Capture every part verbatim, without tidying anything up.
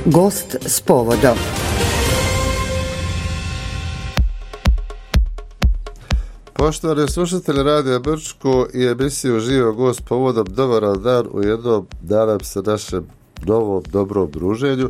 Gost s povodom. Poštovani slušatelji Radija Brčko i emisiju Živo gost povodom, dobar dan u jednom, nadam se, našem novom dobrom druženju,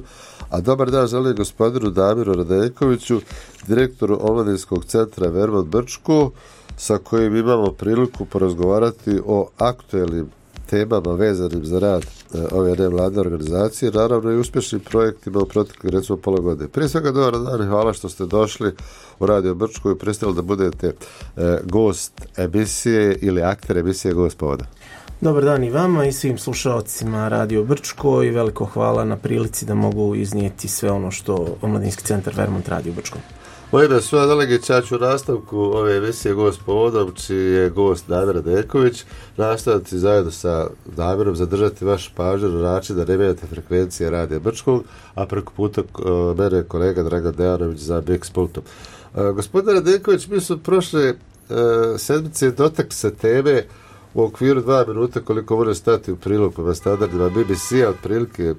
a dobar dan želim gospodinu Damiru Radenkoviću, direktoru Omladinskog centra Vermont Brčko, sa kojim imamo priliku porazgovarati o aktuelnim temama vezanim za rad e, ove nevladne organizacije, naravno i uspješnim projektima u proteklih recimo pola godine. Prije svega dobar dan i hvala što ste došli u Radio Brčko i pristali da budete e, gost emisije ili akter emisije Gost povoda. Dobar dan i vama i svim slušalcima Radio Brčko i veliko hvala na prilici da mogu iznijeti sve ono što Omladinski centar Vermont radi u Brčkom. Moje ime su Adelegić, ja ću u nastavku ove emisije Gost povodom, čiji je gost Damir Radenković, nastaviti zajedno sa Damirom zadržati vaš pažnju na način da ne menjate frekvencije Radija Brčkog, a preko puta uh, mene kolega Dragan Dejanović za Mix Pultom. Uh, gospodin Radenković, mi su prošle uh, sedmice dotakli se teme u okviru dva minuta koliko može stati u prilog prema standardima B B C-a, otprilike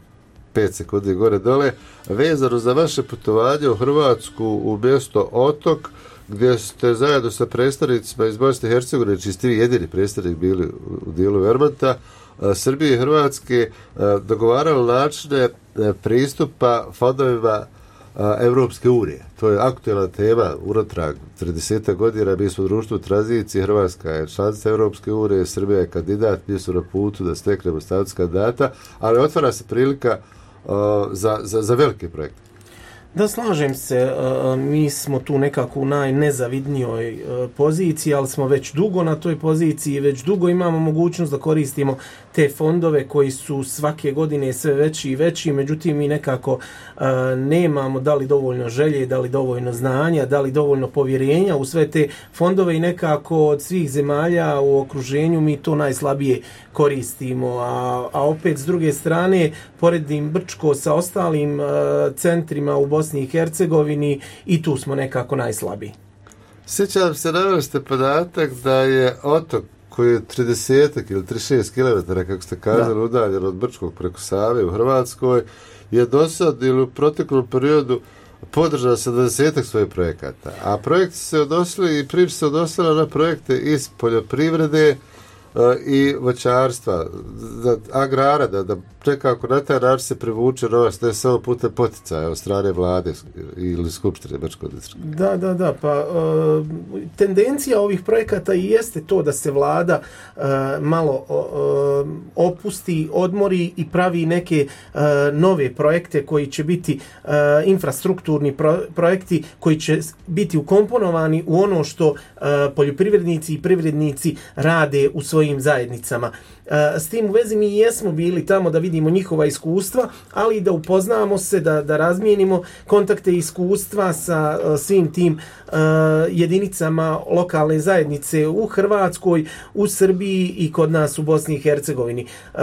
pet sekundi gore dole, vezano za vaše putovanje u Hrvatsku u mjesto Otok, gdje ste zajedno sa predstavnicima iz Bosne i Hercegovine, čiji ste vi jedini predstavnik bili u dijelu Vermonta, Srbije i Hrvatske, dogovarali načine pristupa fondovima Evropske unije. To je aktuelna tema unatrag trideset godina, mi smo društvo u tranziciji, Hrvatska je članica Evropske unije, Srbija je kandidat, mi su na putu da steknemo status kandidata, ali otvara se prilika uh, za, za, za velike projekte. Da, slažem se, mi smo tu nekako u najnezavidnijoj poziciji, ali smo već dugo na toj poziciji, već dugo imamo mogućnost da koristimo te fondove koji su svake godine sve veći i veći, međutim mi nekako nemamo da li dovoljno želje, da li dovoljno znanja, da li dovoljno povjerenja u sve te fondove i nekako od svih zemalja u okruženju mi to najslabije koristimo, a, a opet s druge strane poredim Brčko sa ostalim centrima u Bosni i Hercegovini i tu smo nekako najslabiji. Sjećam se, naveli ste podatak da je Otok koji je trideset ili trideset šest kilometara, kako ste kazali, udaljen od Brčkog preko Save u Hrvatskoj, je do sad ili u proteklom periodu podržao sedamdeset svojih projekata. A projekti se odnosili i priča se odnosila na projekte iz poljoprivrede uh, i voćarstva, da, agrara, da, da nekako na taj način se privuče novac, ne samo putem poticaja od strane vlade ili skupštine Brčkog distrikta. Da, da, da, pa uh, tendencija ovih projekata i jeste to da se vlada uh, malo uh, opusti, odmori i pravi neke uh, nove projekte koji će biti uh, infrastrukturni pro- projekti koji će biti ukomponovani u ono što uh, poljoprivrednici i privrednici rade u svojim zajednicama. S tim u vezi mi jesmo bili tamo da vidimo njihova iskustva, ali i da upoznamo se, da, da razmijenimo kontakte i iskustva sa uh, svim tim uh, jedinicama lokalne zajednice u Hrvatskoj, u Srbiji i kod nas u Bosni i Hercegovini. Uh,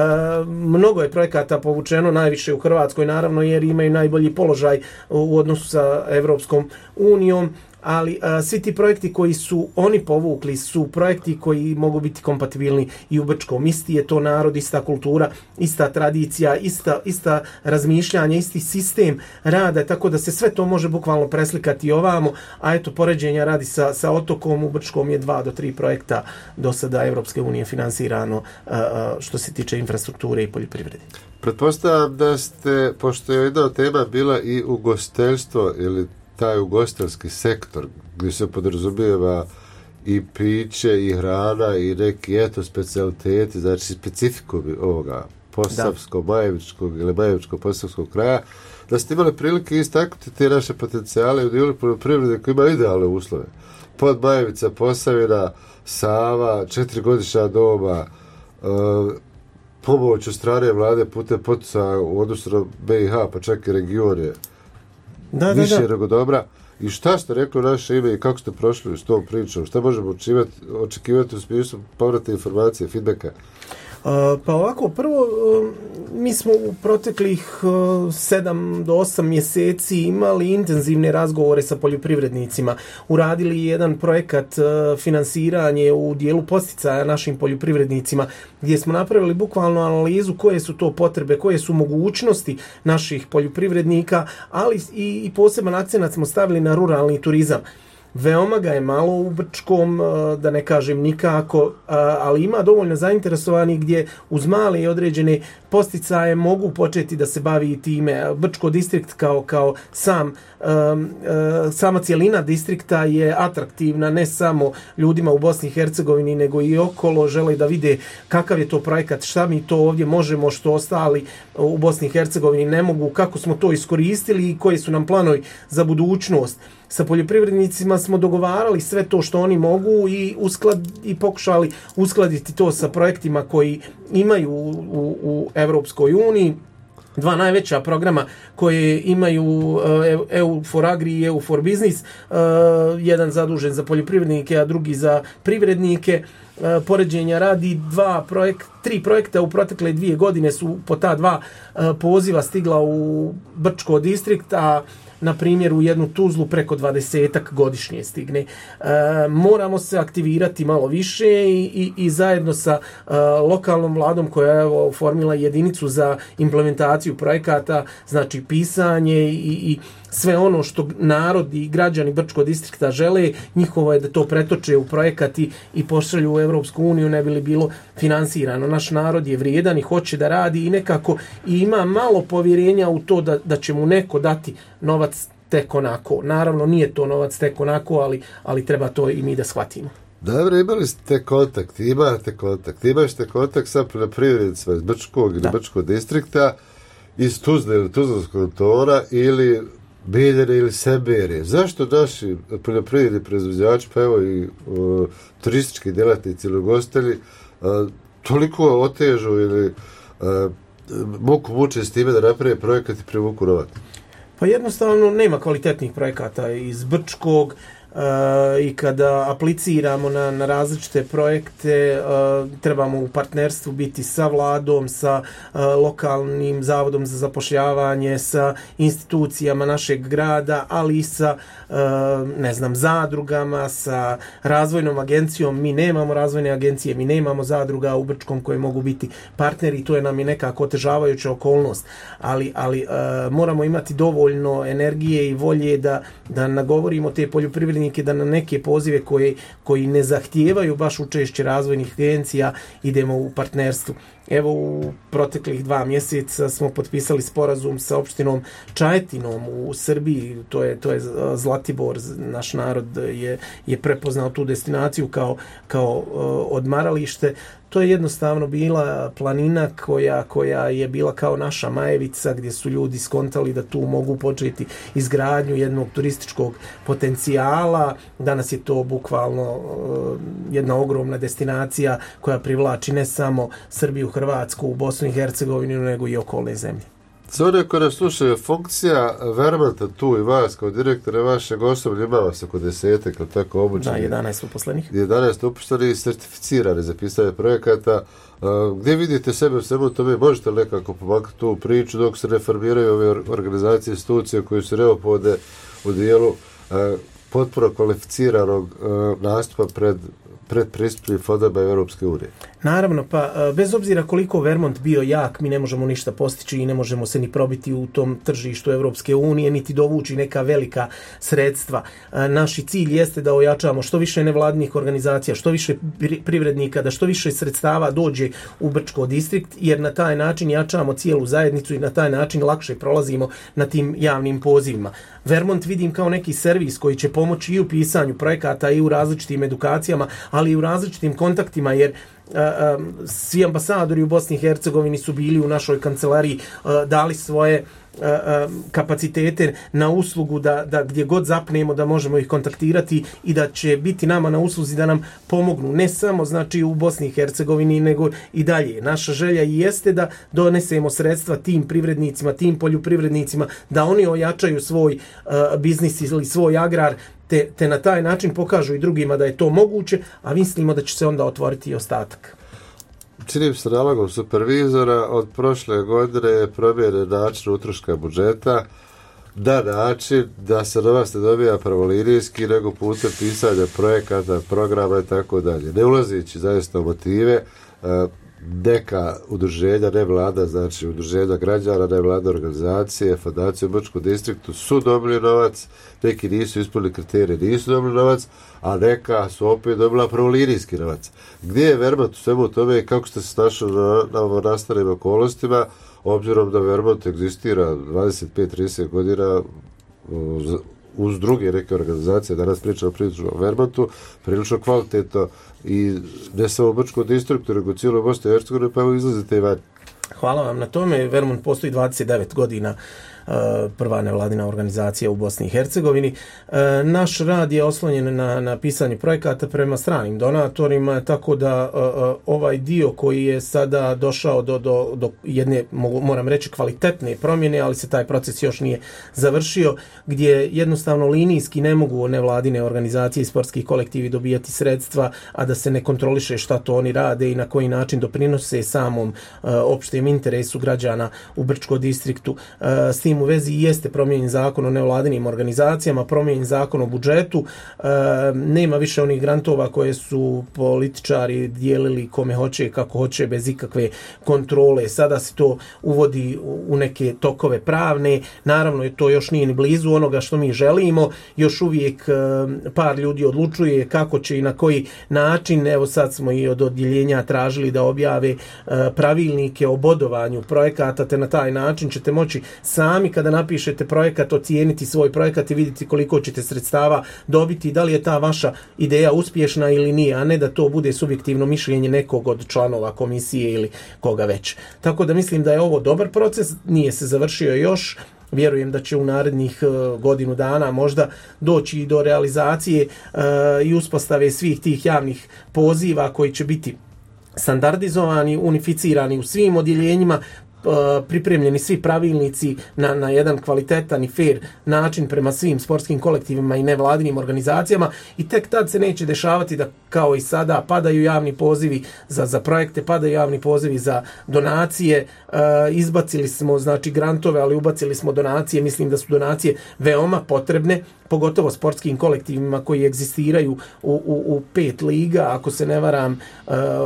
mnogo je projekata povučeno, najviše u Hrvatskoj naravno jer imaju najbolji položaj u odnosu sa Evropskom unijom, ali a, svi ti projekti koji su oni povukli su projekti koji mogu biti kompatibilni i u Brčkom. Isti je to narod, ista kultura, ista tradicija, ista, ista razmišljanja, isti sistem rada, tako da se sve to može bukvalno preslikati ovamo, a eto, poređenja radi sa, sa Otokom, u Brčkom je dva do tri projekta do sada Evropske unije finansirano a, a, što se tiče infrastrukture i poljoprivrede. Pretpostavljam da ste, pošto je jedna tema bila i ugostiteljstvo ili taj ugostiteljski sektor gdje se podrazumijeva i piće i hrana i neki eto specijaliteti, znači specifikumi ovoga posavskog, majevičkog ili majevičko-posavskog kraja, da ste imali prilike istaknuti te naše potencijale u dijelu poljoprivrede koji ima idealne uslove. Podmajevica, Posavina, Sava, četirigodišnja doba, e, pomoć od strane vlade putem poticaja u odnosu na B i H, pa čak i regione Da, više da, da. nego dobra. I šta ste rekli u naše ime i kako ste prošli s tom pričom? Šta možemo očekivati, očekivati u smislu povrata informacije, feedbacka? Pa ovako, prvo, mi smo u proteklih sedam do osam mjeseci imali intenzivne razgovore sa poljoprivrednicima. Uradili jedan projekat finansiranje u dijelu posticaja našim poljoprivrednicima, gdje smo napravili bukvalno analizu koje su to potrebe, koje su mogućnosti naših poljoprivrednika, ali i, i poseban akcenat smo stavili na ruralni turizam. Veoma ga je malo u Brčkom, da ne kažem nikako, ali ima dovoljno zainteresovani gdje uz male i određene posticaje mogu početi da se bavi time. Brčko distrikt kao, kao sam, sama cijelina distrikta je atraktivna ne samo ljudima u Bosni i Hercegovini, nego i okolo. Žele da vide kakav je to projekat, šta mi to ovdje možemo što ostali u Bosni i Hercegovini ne mogu, kako smo to iskoristili i koji su nam planovi za budućnost. Sa poljoprivrednicima smo dogovarali sve to što oni mogu i, usklad, i pokušali uskladiti to sa projektima koji imaju u, u, u Evropskoj uniji. Dva najveća programa koje imaju E U for Agri i E U for Business, jedan zadužen za poljoprivrednike, a drugi za privrednike. Poređenja radi dva projekt, tri projekta u protekle dvije godine su po ta dva poziva stigla u Brčko distrikt, a na primjer u jednu Tuzlu preko dvadesetak godišnje stigne. E, moramo se aktivirati malo više i, i, i zajedno sa e, lokalnom vladom koja je oformila jedinicu za implementaciju projekata, znači pisanje i, i sve ono što narod i građani Brčkog distrikta žele, njihovo je da to pretoče u projekat i, i pošalju u Evropsku uniju, ne bi li bilo finansirano. Naš narod je vrijedan i hoće da radi i nekako i ima malo povjerenja u to da, da će mu neko dati novac tek onako. Naravno, nije to novac tek onako, ali, ali treba to i mi da shvatimo. Dobro, imali ste kontakt, imate kontakt, imašte kontakt sa poljoprivrednicima iz Brčkog ili Brčkog distrikta, iz Tuzle ili Tuzlanskog tora ili Biljere ili Seberije. Zašto naši poljoprivredni proizvođači, pa evo i uh, turistički djelatnici ili ugostitelji uh, toliko otežu ili uh, muku muče s time da naprave projekat i privuku novac? Pa jednostavno nema kvalitetnih projekata iz Brčkog. Uh, i kada apliciramo na, na različite projekte uh, trebamo u partnerstvu biti sa vladom, sa uh, lokalnim zavodom za zapošljavanje, sa institucijama našeg grada, ali i sa uh, ne znam, zadrugama, sa razvojnom agencijom. Mi nemamo razvojne agencije, mi nemamo zadruga u Brčkom koje mogu biti partneri i to je nam je nekako otežavajuća okolnost, ali, ali uh, moramo imati dovoljno energije i volje da, da nagovorimo te poljoprivrednike da na neke pozive koje, koji ne zahtijevaju baš učešće razvojnih agencija idemo u partnerstvu. Evo u proteklih dva mjeseca smo potpisali sporazum sa opštinom Čajetinom u Srbiji, to je, to je Zlatibor, naš narod je, je prepoznao tu destinaciju kao, kao uh, odmaralište. To je jednostavno bila planina koja, koja je bila kao naša Majevica, gdje su ljudi skontali da tu mogu početi izgradnju jednog turističkog potencijala. Danas je to bukvalno uh, jedna ogromna destinacija koja privlači ne samo Srbiju, Hrvatsku, Bosnu i Hercegovinu, nego i okolne zemlje. Za one koje nas slušaju, funkcija Vermonta tu i vas kao direktora vašeg osoblja ima vas oko desetak, ali tako obučeni. Da, jedanaest uposlenih. jedanaest uposlenih i certificirani za pisanje projekata. Uh, gdje vidite sebe u svemu tome? Možete li nekako pomagati tu priču dok se reformiraju ove organizacije, institucije koje su neophodne u dijelu uh, potpuno kvalificiranog uh, nastupa pred predpristupnim fondovima Europske unije? Naravno, pa bez obzira koliko Vermont bio jak, mi ne možemo ništa postići i ne možemo se ni probiti u tom tržištu Europske unije, niti dovući neka velika sredstva. Naši cilj jeste da ojačamo što više nevladnih organizacija, što više privrednika, da što više sredstava dođe u Brčko distrikt, jer na taj način jačamo cijelu zajednicu i na taj način lakše prolazimo na tim javnim pozivima. Vermont vidim kao neki servis koji će pomoći i u pisanju projekata i u različitim edukacijama, ali i u različitim kontaktima, jer Uh, um, svi ambasadori u Bosni i Hercegovini su bili u našoj kancelariji, uh, dali svoje uh, um, kapacitete na uslugu da, da gdje god zapnemo da možemo ih kontaktirati i da će biti nama na usluzi da nam pomognu, ne samo znači u Bosni i Hercegovini, nego i dalje. Naša želja i jeste da donesemo sredstva tim privrednicima, tim poljoprivrednicima, da oni ojačaju svoj uh, biznis ili svoj agrar, Te, te na taj način pokažu i drugima da je to moguće, a mislimo da će se onda otvoriti i ostatak. čini se nalogom supervizora od prošle godine promijene način utroška budžeta na način da se novac ne dobija pravolinijski nego putem pisanja projekata, programa i tako dalje. Ne ulazići zaista u motive, neka udruženja, ne vlada, znači udruženja građana, ne vlada organizacije, fondacije u Brčkom distriktu su dobili novac, neki nisu ispunili kriterije, nisu dobili novac, a neka su opet dobila pravolinijski novac. Gdje je Vermont u svemu tome i kako ste se našli na, na nastalim okolnostima, obzirom da Vermont egzistira dvadeset pet do trideset godina uz, uz druge neke organizacije, danas pričamo prilično o Vermontu, prilično kvalitetno i ne samo u Brčkom distriktu, nego cijelo Bosne i Hercegovine, pa evo izlazite i van. Hvala vam na tome. Vermont postoji dvadeset devet godina, prva nevladina organizacija u Bosni i Hercegovini. Naš rad je oslonjen na, na pisanje projekata prema stranim donatorima, tako da ovaj dio koji je sada došao do, do, do jedne, moram reći, kvalitetne promjene, ali se taj proces još nije završio, gdje jednostavno linijski ne mogu nevladine organizacije i sportski kolektivi dobijati sredstva, a da se ne kontroliše šta to oni rade i na koji način doprinose samom opštem interesu građana u Brčkom distriktu. S tim u vezi jeste promijenjen zakon o nevladinim organizacijama, promijenjen zakon o budžetu, e, nema više onih grantova koje su političari dijelili kome hoće, kako hoće, bez ikakve kontrole. Sada se to uvodi u neke tokove pravne, naravno to još nije ni blizu onoga što mi želimo, još uvijek e, par ljudi odlučuje kako će i na koji način. Evo sad smo i od odjeljenja tražili da objave e, pravilnike o bodovanju projekata, te na taj način ćete moći sami kada napišete projekat ocijeniti svoj projekat i vidjeti koliko ćete sredstava dobiti, da li je ta vaša ideja uspješna ili nije, a ne da to bude subjektivno mišljenje nekog od članova komisije ili koga već. Tako da mislim da je ovo dobar proces, nije se završio još. Vjerujem da će u narednih uh, godinu dana možda doći i do realizacije uh, i uspostave svih tih javnih poziva koji će biti standardizovani, unificirani u svim odjeljenjima, pripremljeni svi pravilnici na, na jedan kvalitetan i fair način prema svim sportskim kolektivima i nevladinim organizacijama, i tek tad se neće dešavati da kao i sada padaju javni pozivi za, za projekte, padaju javni pozivi za donacije. E, izbacili smo znači grantove, ali ubacili smo donacije. Mislim da su donacije veoma potrebne, pogotovo sportskim kolektivima koji egzistiraju u, u, u pet liga, ako se ne varam,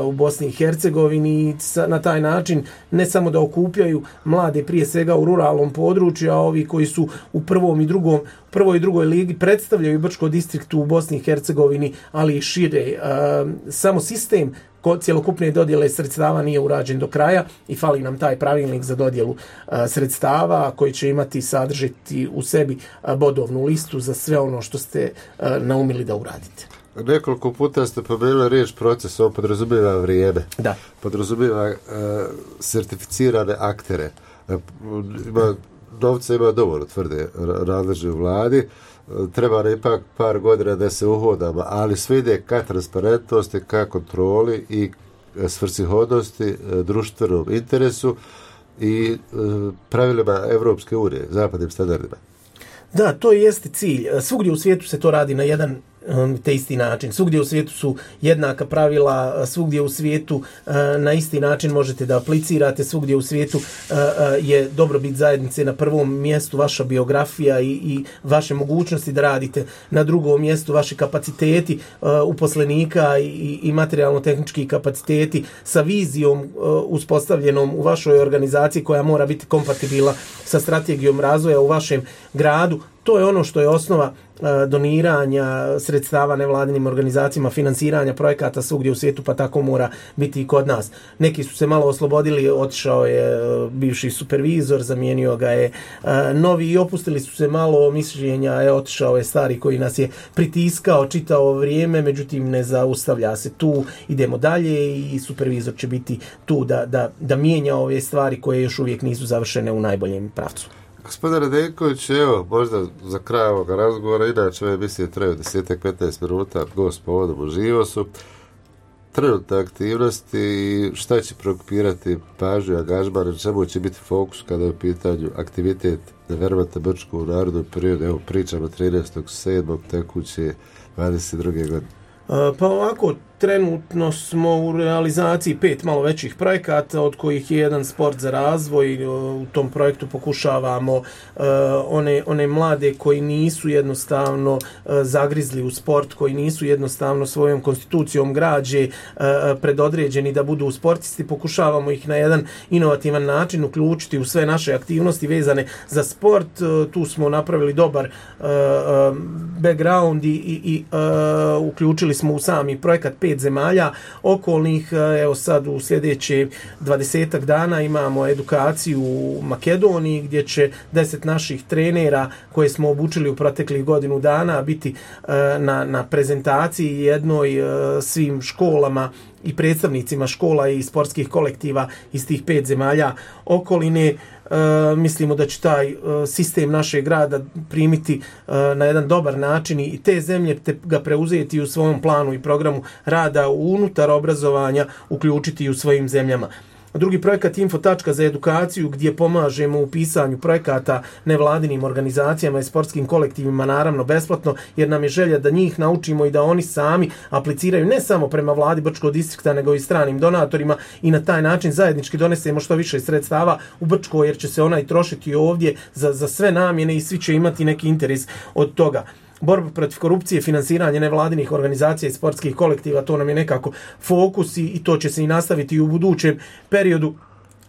u Bosni i Hercegovini, na taj način ne samo da okupljaju mlade prije svega u ruralnom području, a ovi koji su u prvom i drugom, prvoj i drugoj ligi predstavljaju Brčko distriktu u Bosni i Hercegovini, ali i šire. Samo sistem cjelokupne dodjele sredstava nije urađen do kraja i fali nam taj pravilnik za dodjelu a, sredstava koji će imati sadržiti u sebi a, bodovnu listu za sve ono što ste a, naumili da uradite. Nekoliko puta ste pomenuli riječ proces, on podrazumijeva vrijeme. Da. Podrazumijeva uh, certificirane aktere. Uh, ima, novca ima dovoljno, tvrde nadležni u vladi. Uh, treba ne ipak par godina da se uhodamo, ali sve ide ka transparentnosti, ka kontroli i svrsishodnosti, uh, društvenom interesu i uh, pravilima Evropske unije, zapadnim standardima. Da, to jeste cilj. Svugdje u svijetu se to radi na jedan te isti način. Svugdje u svijetu su jednaka pravila, svugdje u svijetu na isti način možete da aplicirate, svugdje u svijetu je dobrobit zajednice na prvom mjestu, vaša biografija i, i vaše mogućnosti da radite, na drugom mjestu vaši kapaciteti uposlenika i, i materijalno-tehnički kapaciteti sa vizijom uspostavljenom u vašoj organizaciji koja mora biti kompatibilna sa strategijom razvoja u vašem gradu. To je ono što je osnova doniranja sredstava nevladinim organizacijama, finansiranja projekata svugdje u svijetu, pa tako mora biti i kod nas. Neki su se malo oslobodili, otišao je bivši supervizor, zamijenio ga je novi i opustili su se malo mišljenja, je otišao je stari koji nas je pritiskao čitavo vrijeme, međutim ne zaustavlja se tu, idemo dalje i supervizor će biti tu da, da, da mijenja ove stvari koje još uvijek nisu završene u najboljem pravcu. Gospodin Radenković, evo, možda za kraj ovoga razgovora, inače ove emisije traju deset do petnaest minuta, gost povodom uživo su, trenutne aktivnosti i šta će preokupirati pažnju i angažman, na čemu će biti fokus kada je u pitanju aktivitet na Vermonta Brčko u narodnom periodu, evo pričamo trinaestog sedmog tekuće dvadeset druge godine. Pa ovako, Trenutno smo u realizaciji pet malo većih projekata, od kojih je jedan sport za razvoj. U tom projektu pokušavamo uh, one, one mlade koji nisu jednostavno uh, zagrizli u sport, koji nisu jednostavno svojom konstitucijom građe uh, predodređeni da budu sportisti, pokušavamo ih na jedan inovativan način uključiti u sve naše aktivnosti vezane za sport. Uh, tu smo napravili dobar uh, uh, background i, i, i uh, uključili smo u sami projekat pet zemalja okolnih. Evo sad u sljedeće dvadesetak dana imamo edukaciju u Makedoniji gdje će deset naših trenera koje smo obučili u proteklih godinu dana biti na, na prezentaciji jednoj svim školama i predstavnicima škola i sportskih kolektiva iz tih pet zemalja okoline. E, mislimo da će taj e, sistem našeg grada primiti e, na jedan dobar način i te zemlje te ga preuzeti u svom planu i programu rada unutar obrazovanja, uključiti u svojim zemljama. Drugi projekat Info tačka za edukaciju, gdje pomažemo u pisanju projekata nevladinim organizacijama i sportskim kolektivima, naravno besplatno, jer nam je želja da njih naučimo i da oni sami apliciraju ne samo prema vladi Brčkog distrikta, nego i stranim donatorima i na taj način zajednički donesemo što više sredstava u Brčko, jer će se ona i trošiti ovdje za, za sve namjene i svi će imati neki interes od toga. Borba protiv korupcije, finansiranje nevladinih organizacija i sportskih kolektiva, to nam je nekako fokus i, i to će se i nastaviti i u budućem periodu.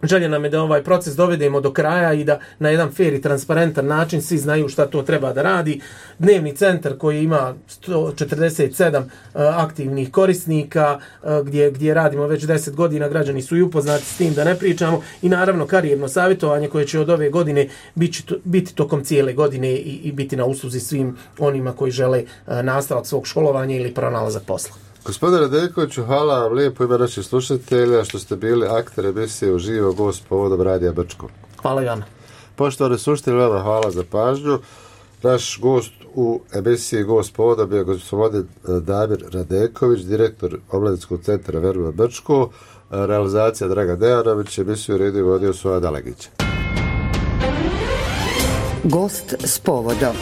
Želja nam je da ovaj proces dovedemo do kraja i da na jedan fair i transparentan način svi znaju šta to treba da radi. Dnevni centar koji ima sto četrdeset sedam uh, aktivnih korisnika, uh, gdje, gdje radimo već deset godina, građani su i upoznati s tim, da ne pričamo, i naravno karijerno savjetovanje koje će od ove godine biti, biti tokom cijele godine i, i biti na usluzi svim onima koji žele uh, nastavak svog školovanja ili pronalazak posla. Gospodine Radekoviću, hvala vam lijepo ime naših slušatelja što ste bili akter emisije Uživo gost povodom Radija Brčko. Hvala Jana. Poštovani slušatelji, vama hvala za pažnju. Naš gost u emisiji Gost povodom je gospodin Damir Radeković, direktor Omladinskog centra Verba Brčko, realizacija Draga Dejanović, emisiju redio vodio Soja Dalegića. Gost s povodom.